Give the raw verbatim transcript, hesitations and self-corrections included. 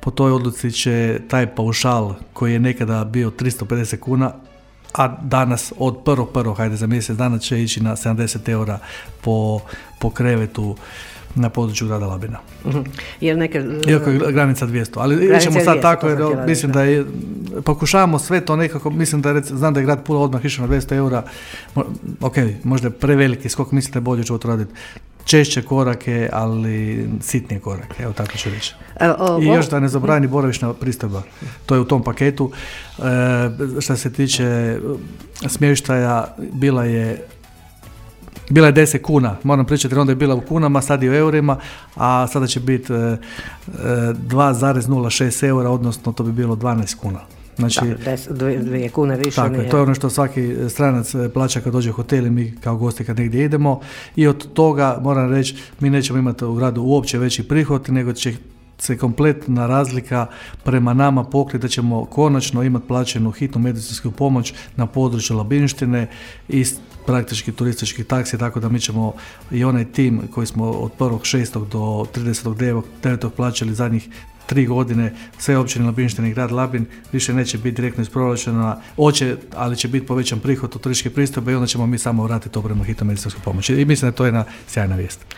po toj odluci će taj paušal koji je nekada bio tristo pedeset kuna, a danas od prvog prvog, hajde za mjesec dana će ići na sedamdeset eura po, po krevetu na području grada Labina. Uh-huh. Jer neke... Iako je granica dvjesto, ali ićemo sad dvjesto, tako, jer mislim da je, pokušavamo sve to nekako, mislim da je, znam da je grad Pula odmah išao na dvjesto eura, ok, možda je preveliki skok, mislim da je bolje ću to raditi. Češće korake, ali sitnije korake, evo tako ću reći. I još da ne zabrani boravišna pristojba, to je u tom paketu. E, što se tiče smještaja, bila je bila je deset kuna, moram pričati, onda je bila u kunama, sad je u eurima, a sada će biti e, dva zarez nula šest eura, odnosno to bi bilo dvanaest kuna. Znači, dvije, dvije kune više. Tako nije. je, to je ono što svaki stranac plaća kad dođe u hotel i mi kao gosti kad negdje idemo, i od toga moram reći, mi nećemo imati u gradu uopće veći prihod, nego će se kompletna razlika prema nama pokriti, da ćemo konačno imati plaćenu hitnu medicinsku pomoć na području Labinštine i praktički turistički taksi, tako da mi ćemo i onaj tim koji smo od prvog šestog do tridesetog devetog plaćali zadnjih tri godine, sve općine Labinštine i grad Labin, više neće biti direktno iz proračuna, oće, ali će biti povećan prihod od turističke pristojbe i onda ćemo mi samo vratiti to prema hitnoj medicinskoj pomoći. I mislim da to je jedna sjajna vijest.